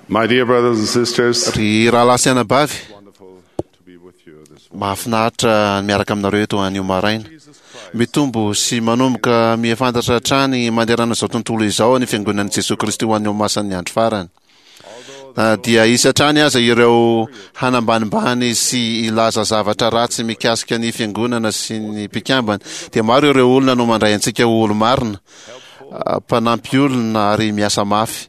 My dear brothers and sisters, Ry rahalahy sy anabavy, wonderful to be with you this morning. mahafinaritra ny miaraka aminareo eto anio maraina. Mitombo sy manomboka mihafantatra hatrany manerana izao tontolo izao ny Fiangonan'i Jesoa Kristy ho an'ny Olomasin'ny Andro Farany. Na dia hisy hatrany aza ireo hanambanimbany sy hilaza zavatra ratsy mikasika ny Fiangonana sy ny mpikambana, dia maro ireo olona no mandray antsika ho olo-marina, mpanampy olona ary miasa mafy.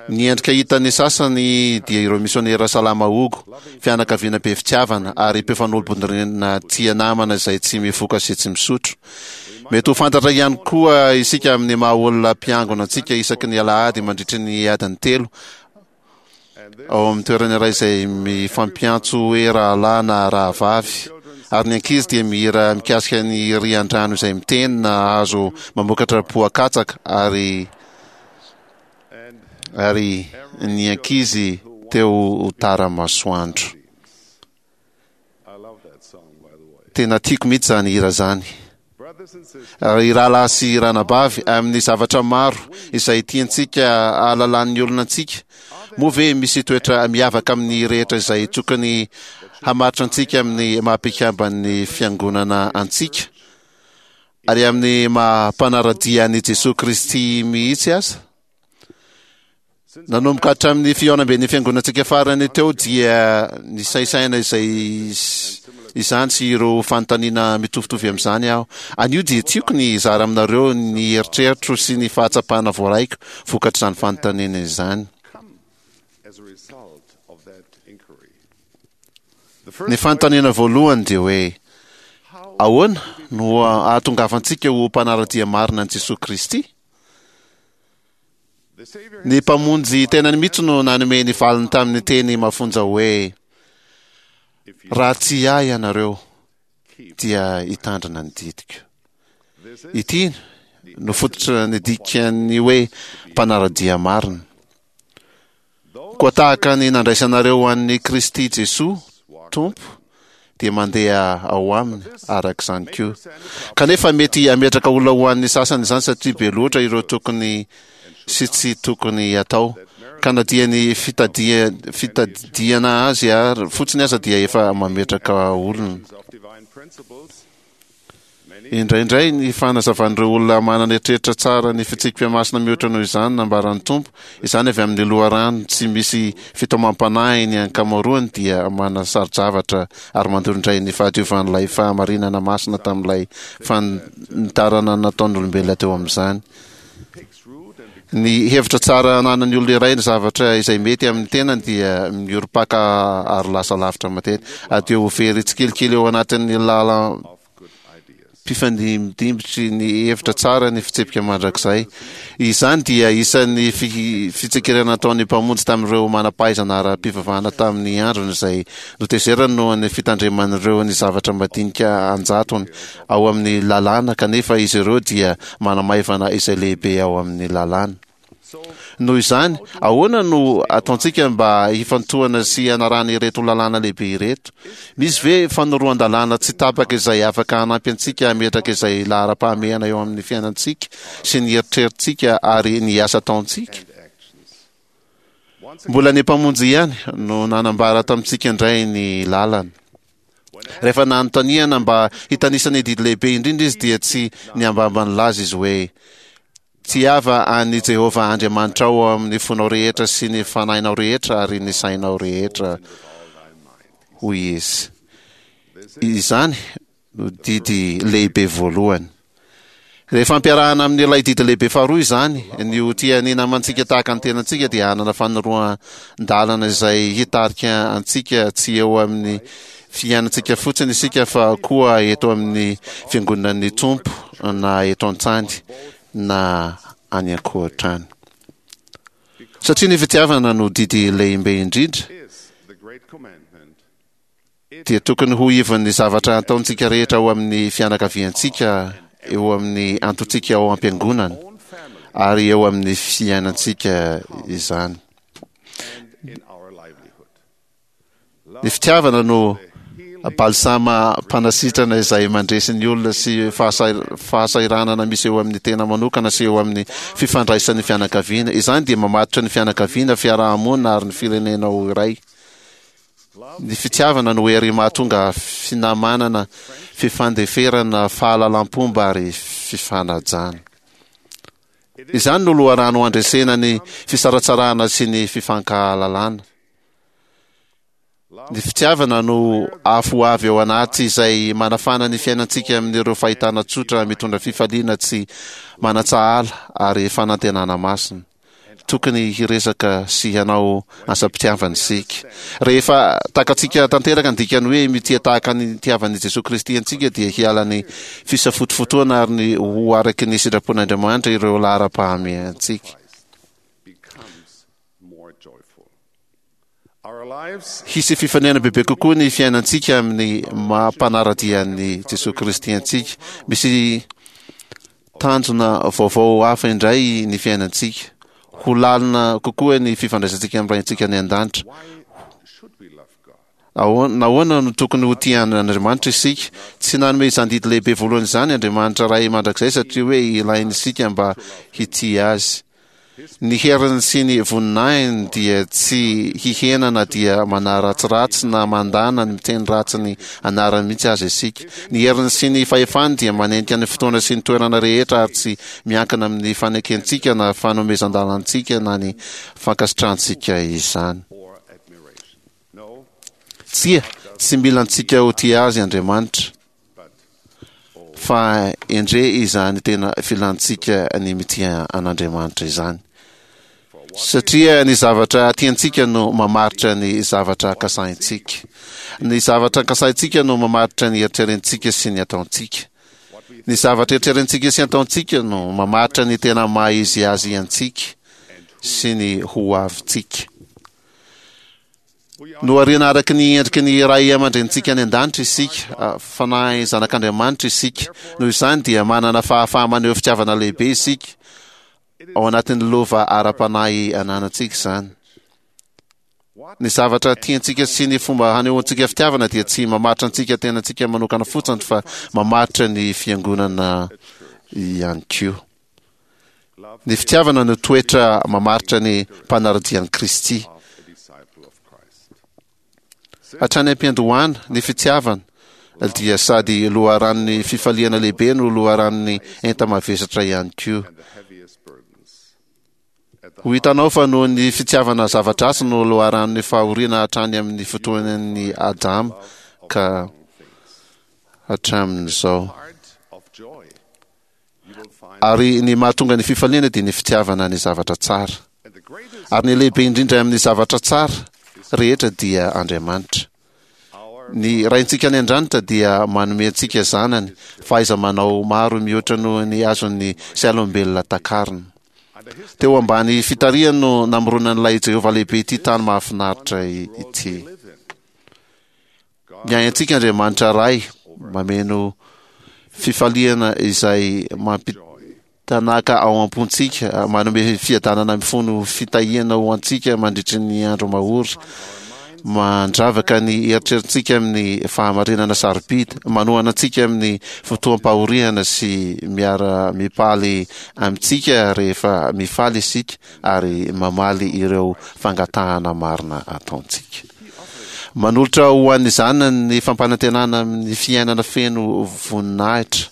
Ny endrika hitan'ny sasany dia ireo misionera salama hogo, fianakaviana be fitiavana ary mpifanolo-bondrina tia namana izay tsy mifoka sy tsy misotro. Mety ho fantatra ihany koa isika amin'ny maha olona mpiangona antsika isaky ny alahady mandritry ny adiny telo ao amin'ny toerana iray izay mifampiantso hoe rahalahy na rahavavy, ary ny ankizy dia mihira mikasika ny rian-drano izay miteny na hazo mamokatra poa-katsaka ary ary ny ankizy teo ho tara masoandro. Tena tiako mihitsy izany hira izany. Ry rahalahy sy ranabavy, amin'ny zavatra maro izay tiantsika ahalalan'ny olona antsika, moa ve misy toetra miavaka amin'ny rehetra izay tokony hamaritra antsika amin'ny maha-mpikamban'ny fiangonana antsika? Ary amin'ny maha mpanara-dia an'i Jesoa Kristy mihitsy aza? Nanomboka hatramin'ny fihaonamben'ny fiangonantsika farany teo dia nisaisaina izay izany sy ireo fanontaniana mitovitovy amin'izany aho. Anio dia tiako ny hizara aminareo ny eritreritro sy ny fahatsapana voaraiko vokatr'izany fanontaniana izany. Ny fanontaniana voalohany dia hoe, ahoana no ahatongavantsika ho mpanara-dia marina an'i Jesoa Kristy? Ny Mpamonjy tenany mihitsy no nanome ny valiny tamin'ny teny mafonja hoe, Raha tia Ahy ianareo, dia hitandrina ny didiko. Ity no fototra ny dikan'ny hoe mpanara-dia marina. Koa tahaka ny nandraisanareo an'i Kristy Jesoa Tompo, dia mandeha ao aminy araka izany koa. Kanefa mety hametraka olona ho an'ny sasany izany satria be loatra ireo tokony sy tsy tokony hatao, ka na dia ny fitadidiana azy ary fotsiny aza dia efa mametraka olona. Indraindray ny fanazavan'ireo olona manana eritreritra tsara ny fitsipika masina mihoatra noho izany nambaran'ny Tompo, izany avy amin'ny loharano tsy misy fitaomam-panahy ny ankamaroany dia manasaro-javatra ary mandoro indray ny fahadiovan'ilay fahamarinana masina tamin'ilay fanitarana nataon'olombelona teo amin'izany. Ny hevitra tsara ananan'ny olona iray ny zavatra izay mety amin'ny tenany dia miorim-paka ary lasa lavitra matetika, ary dia ho very tsikelikely eo anatin'ny lalam-pifandimbidimbitry ny hevitra tsara ny fitsipika mandrakizay. Izany dia isan'ny fitsikerana nataon'ny Mpamonjy tamin'ireo manam-pahaizana ara-pivavahana tamin'ny androny izay notezerany noho ny fitandreman'ireo ny zavatra madinika an-jatony ao amin'ny lalàna kanefa izy ireo dia manamaivana izay lehibe ao amin'ny lalàna. Noho izany, ahoana no ataontsika mba hifantohana sy hanarahana ireto lalàna lehibe ireto? Misy ve fanoroan-dalàna tsy tapaka izay afaka hanampy antsika hametraka izay laharam-pahamehana eo amin'ny fiainantsika sy ny eritreritsika ary ny asa ataontsika? Mbola ny Mpamonjy ihany no nanambara tamintsika indray ny lalana. Rehefa nanontaniana mba hitanisa ny didy lehibe indrindra izy dia tsy niambamba nilaza izy hoe, Tiava an'i Jehovah Andriamanitrao amin'ny fonao rehetra sy ny fanahinao rehetra ary ny sainao rehetra, hoy izy. Izany no didy lehibe voalohany. Rehefa ampiarahana amin'ilay didy lehibe faharoa izany, ny ho tia ny namantsika tahaka ny tenantsika dia hanana fanoroan-dalana izay hitarika antsika tsy eo amin'ny fiainantsika fotsiny isika fa koa eto amin'ny fiangonan'ny Tompo na eto an-tany na any ankoatra any. Satria ny fitiavana no didy lehibe indrindra, dia tokony ho ivon'ny zavatra ataontsika rehetra ao amin'ny fianakaviantsika, eo amin'ny antontsika ao am-piangonana, ary eo amin'ny fiainantsika izany. Ny fitiavana no Balsama mpanasitrana izay mandresy ny olona sy fahasahiranana misy eo amin'ny tena manokana sy eo amin'ny fifandraisan'ny fianakaviana. Izany dia mamatotra ny fianakaviana, fiaraha-monina ary ny firenena ho iray. Ny fitiavana no hery mahatonga finamanana, fifandeferana, fahalalam-pomba ary fifanajana. Izany no loharano handresena ny fisaratsarahana sy ny fifankahalalana. Ny fitiavana no afo avy ao anaty izay manafana ny fiainantsika amin'ireo fahitana tsotra mitondra fifaliana tsy manan-tsahala ary fanantenana masina. Tokony hiresaka sy hanao asam-pitiavana isika. Rehefa takatsika tanteraka ny dikan'ny hoe mitia tahaka ny nitiavan'i Jesoa Kristy antsika dia hiala ny fisafotofotoana ary ny ho araky ny sitrapon'Andriamanitra ireo laharam-pahamehantsika. Hisy fifanena bebe kokoa ny fiainantsika amin'ny maha mpanara-dia an'i Jesoa Kristy antsika. Misy tanjona vaovao hafa indray ny fiainantsika. Ho lalina kokoa ny fifandraisantsika amin'ny Raintsika any an-danitra. Nahoana no tokony ho tia an'Andriamanitra isika? Tsy nanome izany didy lehibe voalohany izany Andriamanitra Ray mandrakizay satria hoe ilain'isika mba hitia Azy. Ny heriny sy ny voninahiny dia tsy hihena na dia manaratsiratsy na mandà na miteny ratsy ny anarany mihitsy aza isika. Ny heriny sy ny fahefany dia manenika ny fotoana sy ny toerana rehetra ary tsy miankina amin'ny fanekentsika na fanomezan-dalantsika na ny fankasitrahantsika izany. Tsia, tsy mila antsika ho tia azy Andriamanitra. Fa endre izany tena filantsika ny mitia an'Andriamanitra izany. Satria ny zavatra tiantsika no mamaritra ny zavatra kasahintsika. Ny zavatra kasahintsika no mamaritra ny eritrerentsika sy ny ataontsika. Ny zavatra eritrerentsika sy ataontsika no mamaritra ny tena maha izy azy antsika sy ny ho avintsika. Nohariana araka ny endriky ny Ray aman-dRenintsika any an-danitra isika. Fanahy zanak'Andriamanitra isika. Noho izany dia manana fahafaha-maneho fitiavana lehibe isika ao anatin'ny lova ara-panahy ananantsika izany. Ny zavatra tiantsika sy ny fomba hanehoantsika fitiavana dia tsy mamaritra antsika tenantsika manokana fotsiny fa mamaritra ny fiangonana ihany koa. Ny fitiavana no toetra mamaritra ny mpanara-dia an'i Kristy. Hatrany am-piandohana, ny fitiavana dia sady loharanon'ny fifaliana lehibe no loharanon'ny enta-mavesatra ihany koa. Ho hitanao fa noho ny fitiavana zava-dratsy no loharanon'ny fahoriana hatrany amin'ny fotoanan'i Adama ka hatramin'izao. Ary ny mahatonga ny fifaliana dia ny fitiavana ny zavatra tsara. Ary ny lehibe indrindra amin'ny zavatra tsara rehetra dia Andriamanitra. Ny Raintsika any an-dranitra dia manome antsika zanany fahaiza-manao maro mihoatra noho ny azon'ny sain'olombelona takarina. Teo ambany fitarihany no namoronan'ilay Jehovah lehibe ity tany mahafinaritra ity. Miahy antsika Andriamanitra Ray, mameno fifaliana izay mampitanaka ao am-pontsika, manome fiadanana mifono fitahiana ho antsika mandritry ny andro mahory, mandravaka ny eritreritsika amin'ny fahamarinana sarobidy, manohana antsika amin'ny fotoam-pahoriana sy miara-mipaly amintsika rehefa mifaly isika ary mamaly ireo fangatahana marina ataontsika. Manolotra ho an'ny zanany ny fampanantenana amin'ny fiainana feno voninahitra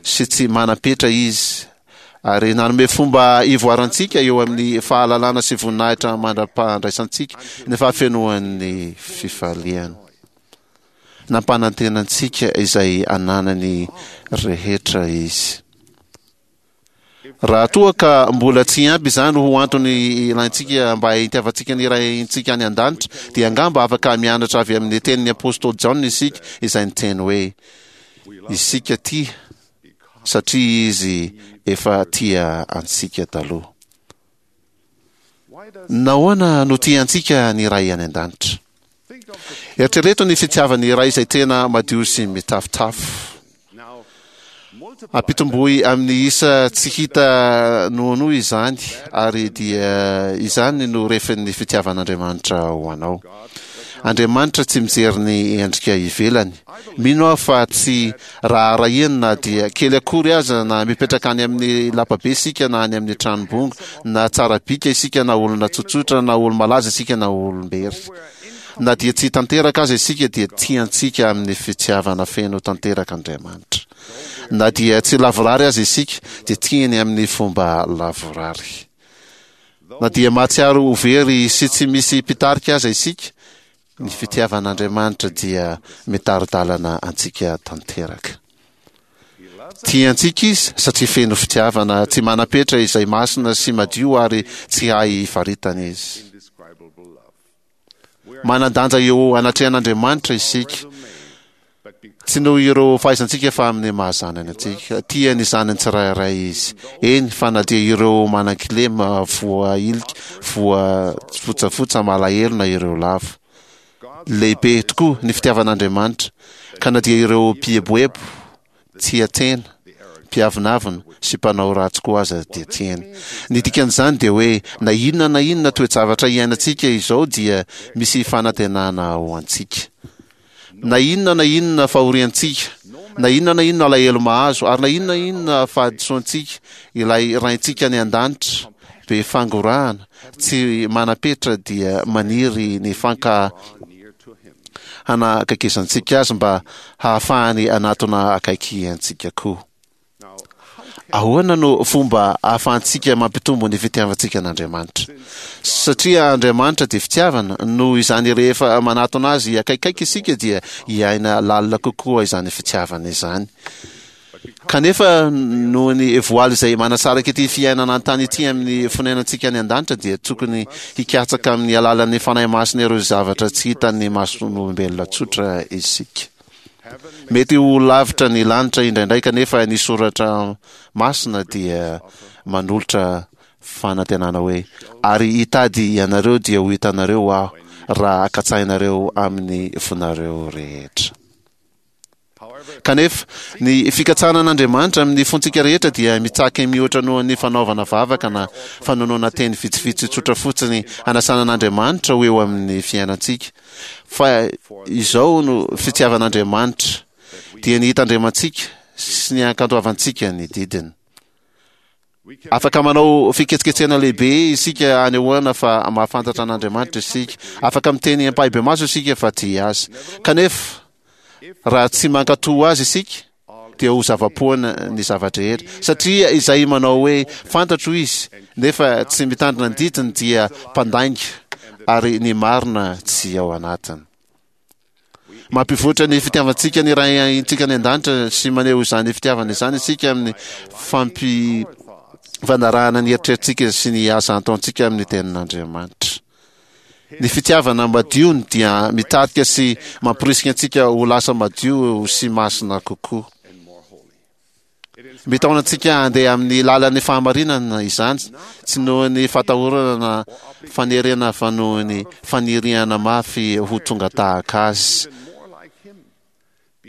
sy tsy manam-petra izy, ary nanome fomba hivoarantsika eo amin'ny fahalalana sy voninahitra mandra-pahandraisantsika ny fahafenoan'ny fifaliana. Nampanantena antsika izay ananany rehetra izy. Raha toa ka mbola tsy ampy izany ho antony ilaintsika mba hitiavantsika ny Raintsika any an-danitra, dia angamba afaka mianatra avy amin'ny tenin'ny apostoly Jaona isika, izay niteny hoe, Isika tia, satria Izy efa tia antsika taloha. Nahoana no tia antsika ny Ray any an-danitra? Eritrereto ny fitiavan'ny Ray izay tena madio sy mitafotafo. Ampitomboy amin'ny isa tsy hita noanoa izany, ary dia izany no refin'ny fitiavan'Andriamanitra ho anao. Andriamanitra tsy mijery ny endrika ivelany. Mino aho fa tsy raharahiany na dia kely akory aza na mipetraka any amin'ny lapabe isika na any amin'ny tranombongo, na tsara bika isika na olona tsotsotra, na olo-malaza isika na olom-bery. Na dia tsy tanteraka aza isika dia tiantsika amin'ny fitiavana feno tanteraka Andriamanitra. Na dia tsy lavorary aza isika dia tiany amin'ny fomba lavorary. Na dia mahatsiaro ho very sy tsy misy mpitarika aza isika, ny fitiavan'Andriamanitra dia mitari-dalana antsika tanteraka. Tia antsika Izy satria feno fitiavana tsy manam-petra izay masina sy madio ary tsy hay faritana Izy. Manan-danja eo anatrehan'Andriamanitra isika, tsy noho ireo fahaizantsika fa amin'ny maha zanany antsika. Tia ny zanany tsirairay Izy, eny fa na dia ireo manan-kilema, voahilika, voafotsafotsa, malahelo na ireo lavo. Lehibe tokoa ny fitiavan'Andriamanitra, ka na dia ireo mpieboebo, tia tena, mpiavonavona sy mpanao ratsy koa aza dia tiany. Ny dikan'izany dia hoe na inona na inona toe-javatra iainantsika izao dia misy fanantenana ho antsika. Na inona na inona fahoriantsika, na inona na inona alahelo mahazo, ary na inona na inona fahadisoantsika, ilay Raintsika any an-danitra be fangorahana, tsy manam-petra dia maniry ny fanka hanakaikezantsika azy mba hahafahany hanatona akaiky antsika koa. Ahoana no fomba ahafahantsika mampitombo ny fitiavantsika an'Andriamanitra? Satria Andriamanitra dia fitiavana, noho izany rehefa manatona azy akaikaiky isika dia hiaina lalina kokoa izany fitiavana izany. Kanefa noho ny voaly izay manasaraka ity fiainana an-tany ity amin'ny fonenantsika any an-danitra dia tokony hikatsaka amin'ny alalan'ny Fanahy Masina ireo zavatra tsy hitan'ny mason'olombelona tsotra isika. Mety ho lavitra ny lanitra indraindray kanefa ny soratra masina dia manolotra fanantenana hoe ary hitady ianareo dia ho hitanareo aho raha katsahinareo amin'ny fonareo rehetra. Kanefa, ny fikatsahana an'Andriamanitra amin'ny fontsika rehetra dia mitsaky mihoatra noho ny fanaovana vavaka na fanonona teny vitsivitsy tsotra fotsiny hanasana an'Andriamanitra ho eo amin'ny fiainantsika. Fa izao no fitiavan'Andriamanitra, dia ny hitandremantsika sy ny hankantoavantsika ny didiny. Afaka manao fiketsiketsehana lehibe isika hanehoana fa mahafantatra an'Andriamanitra isika. Afaka miteny ampahibemaso isika fa tia Azy. Kanefa, raha tsy mankatò Azy isika, dia ho zava-poana ny zava-drehetra. Satria izay manao hoe, Fantatro Izy, nefa tsy mitandrina ny didiny dia mpandainga, ary ny marina tsy ao anatiny. Mampivoatra ny fitiavantsika ny Raintsika any an-danitra sy maneho izany fitiavana izany isika amin'ny fampifanarahana ny eritreritsika sy ny asa ataontsika amin'ny tenin'Andriamanitra. Ny fitiavana madio dia mitarika sy mamporisika antsika ho lasa madio sy masina kokoa. Mitaona antsika handeha amin'ny lalan'ny fahamarinana izany, tsy noho ny fatahorana na fanerena fa noho ny faniriana mafy ho tonga tahaka Azy,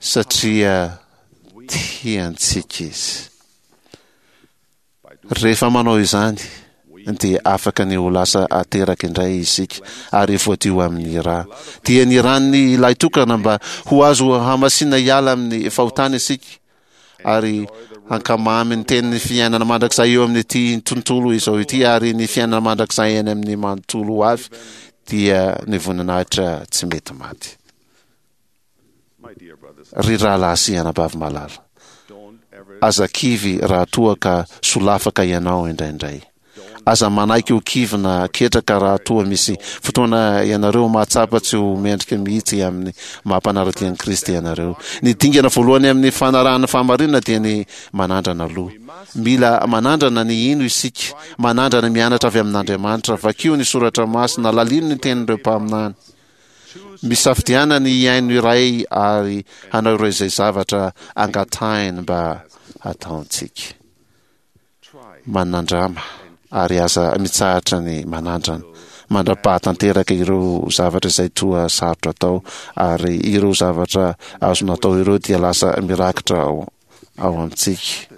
satria tiantsika Izy. Rehefa manao izany dia afaka ny ho lasa ateraka indray isika ary voadio amin'ny ra. Dia ny ran'ny Lahitokana mba ho azo hamasina hiala amin'ny fahotana isika ary hankamamy ny tenin'ny fiainana mandrakizay eo amin'ity tontolo izao ity ary ny fiainana mandrakizay any amin'ny manontolo ho avy dia ny voninahitra tsy mety maty. Ry rahalahy sy anabavy malala, aza kivy raha toa ka solafaka ianao indraindray. Aza manaiky ho kivy na ketraka raha toa misy fotoana ianareo mahatsapa tsy ho mendrika mihitsy amin'ny maha mpanara-dia an'i Kristy ianareo. Ny dingana voalohany amin'ny fanarahana fahamarinana dia ny manandrana aloha. Mila manandrana ny hino isika, manandrana mianatra avy amin'Andriamanitra. Vakio ny soratra masina, lalino ny tenin'ireo mpaminany. Misafidiana ny hihaino iray ary hanao ireo izay zavatra angatahiny mba hataontsika. Manandrama ary aza mitsahatra ny manandrana mandra-pahatanteraka ireo zavatra izay toa sarotra atao ary ireo zavatra azonao atao ireo dia lasa mirakitra ao ao amintsika.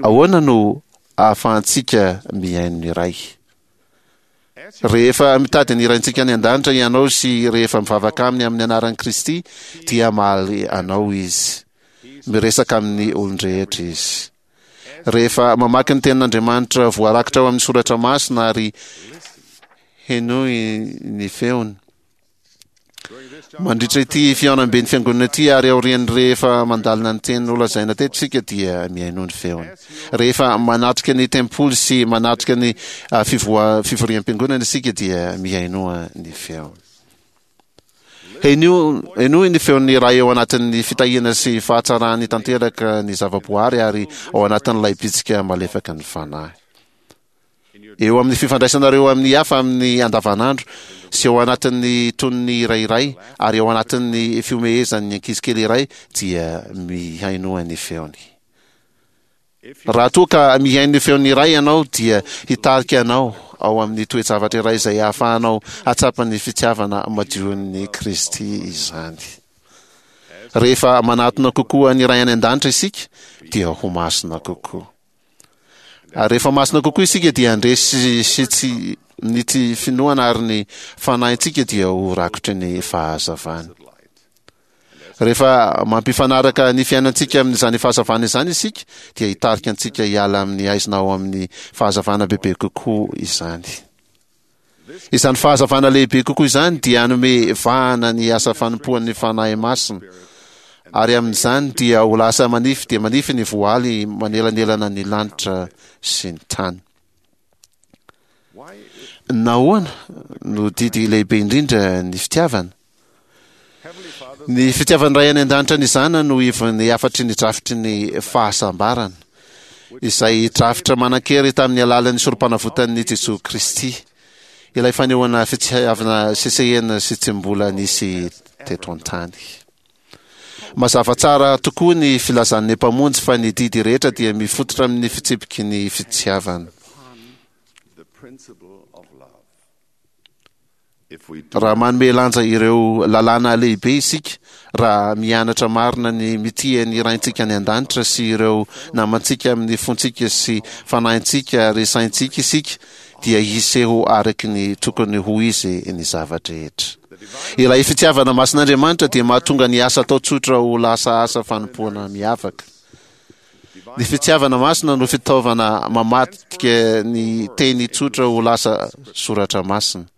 Ahoana no ahafahantsika mihaino ny Ray? Rehefa mitady ny Raintsika any An-danitra ianao sy rehefa mivavaka Aminy amin'ny anaran'i Kristy, dia hamaly anao Izy. Miresaka amin'ny olon-drehetra Izy. Rehefa mamaky ny Tenin'Andriamanitra voarakitra ao amin'ny Soratra Masina ary henoy ny feony. Mandritra ity fihaonamben'ny fiangonana ity ary aorian'ny rehefa mandalina ny teny nolazaina teto isika dia mihainoa ny feony. Rehefa manatrika ny tempoly sy manatrika ny ah, fivoa- fivoriam-piangonana isika dia mihainoa ny feony. Henoy henoy ny feon'ny Ray ao anatin'ny fitahiana sy fahatsarany tanteraka ny zavaboary ary ao anatin'ilay bitsika malefaka ny fanahy. Eo amin'ny fifandraisanareo amin'ny hafa amin'ny andavanandro sy ao anatin'ny tonony iray iray ary ao anatin'ny fihomehezan'ny ankizy kely iray dia mihainoa ny feony. Raha toa ka mihaino ny feon'ny iray ianao dia hitarika anao ao amin'ny toe-javatra iray izay ahafahanao hahatsapa ny fitiavana madion'i Kristy izany. Rehefa manatona kokoa ny Ray any An-danitra isika dia ho masina kokoa. Ary rehefa masina kokoa isika dia handresy sy tsy ny tsy finoana ary ny fanahintsika dia ho rakotry ny fahazavany. Rehefa mampifanaraka ny fiainantsika amin'izany fahazavana izany isika dia hitarika antsika hiala amin'ny haizina ao amin'ny fahazavana bebe kokoa izany. Izany fahazavana lehibe kokoa izany dia hanome vahana ny asa fanompoan'ny Fanahy Masina, ary amin'izany dia ho lasa manify dia manify ny voaly manelanelana ny lanitra sy ny tany. Nahoana no didy lehibe indrindra ny fitiavana? Ny fitiavan'ny Ray any An-danitra ny Zanany no ivon'ny hafatry ny drafitry ny fahasambarana, izay drafitra manan-kery tamin'ny alalan'ny Sorompanavotan'i Jesoa Kristy, ilay fanehoana fitiavana sesehena sy tsy mbola nisy teto an-tany. Mazava tsara tokoa ny filazan'ny Mpamonjy fa ny didy rehetra dia mifototra amin'ny fitsipiky ny fitiavana. Raha manome lanja ireo lalàna lehibe isika, raha mianatra marina ny mitia ny Raintsika any An-danitra sy ireo namantsika amin'ny fontsika sy fanahintsika ary saintsika isika, dia hiseho araka ny tokony ho izy ny zava-drehetra. Ilay fitiavana masin'Andriamanitra dia mahatonga ny asa atao tsotra ho lasa asa fanompoana miavaka. Ny fitiavana masina no fitaovana mamadika ny teny tsotra ho lasa soratra masina.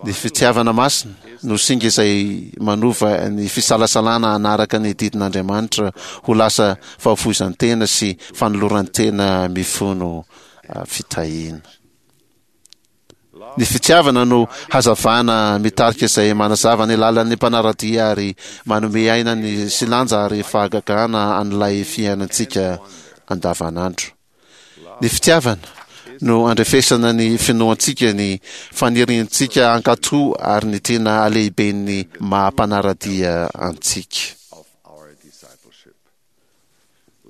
Ny fitiavana masina no singa izay manova ny fisalasalana hanaraka ny didin'Andriamanitra ho lasa fahafoizan-tena sy fanoloran-tena mifono fitahiana. Ny fitiavana no hazavana mitarika izay manazava ny lalan'ny mpanara-dia ary manome aina ny sy lanja ary fahagagana an'ilay fiainantsika andavanandro. Ny fitiavana no andrefesana ny finoantsika, ny faniriantsika hankatò ary ny tena halehiben'ny maha mpanara-dia antsika.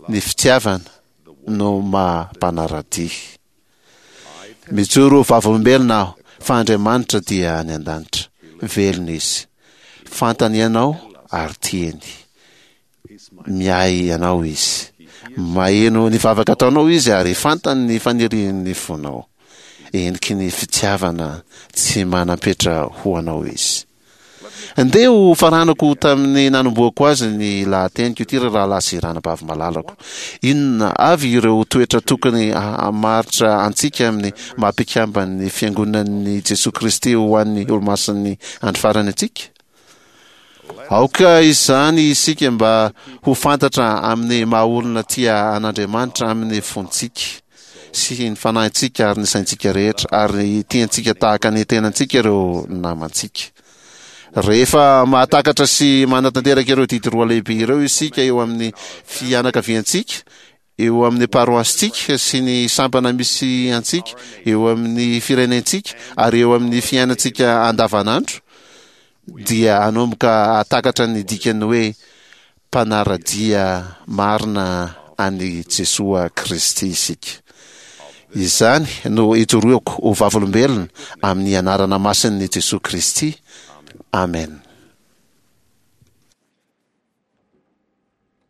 Ny fitiavana no maha mpanara-dia. Mijoro ho vavolombelona aho fa Andriamanitra dia any an-danitra. Velona Izy. Fantany ianao ary tiany. Miahy anao Izy. Maheno ny vavaka ataonao Izy ary fantany ny fanirian'ny fonao. Heniky ny fitiavana tsy manam-petra ho anao Izy. Ndeha ho faranako tamin'ny nanombohako azy ny lahateniko ity ry rahalahy sy ranabavy malalako. Inona avy ireo toetra tokony hamaritra antsika amin'ny maha mpikamban'ny Fiangonan'i Jesoa Kristy ho an'ny Olomasin'ny Andro Farany antsika? Aoka izany isika mba ho fantatra amin'ny maha olona tia an'Andriamanitra amin'ny fontsika sy ny fanahintsika ary ny saintsika rehetra, ary tiantsika tahaka ny tenantsika ireo namantsika. Rehefa mahatakatra sy manatanteraka ireo didy roa lehibe ireo isika eo amin'ny fianakaviantsika, eo amin'ny paroasintsika sy ny sampana misy antsika, eo amin'ny firenentsika ary eo amin'ny fiainantsika andavanandro, dia hanomboka hahatakatra ny dikan'ny hoe mpanara-dia marina an'i Jesoa Kristy isika. Izany no ijoroako ho vavolombelona amin'ny anarana masin'i Jesoa Kristy. Amena.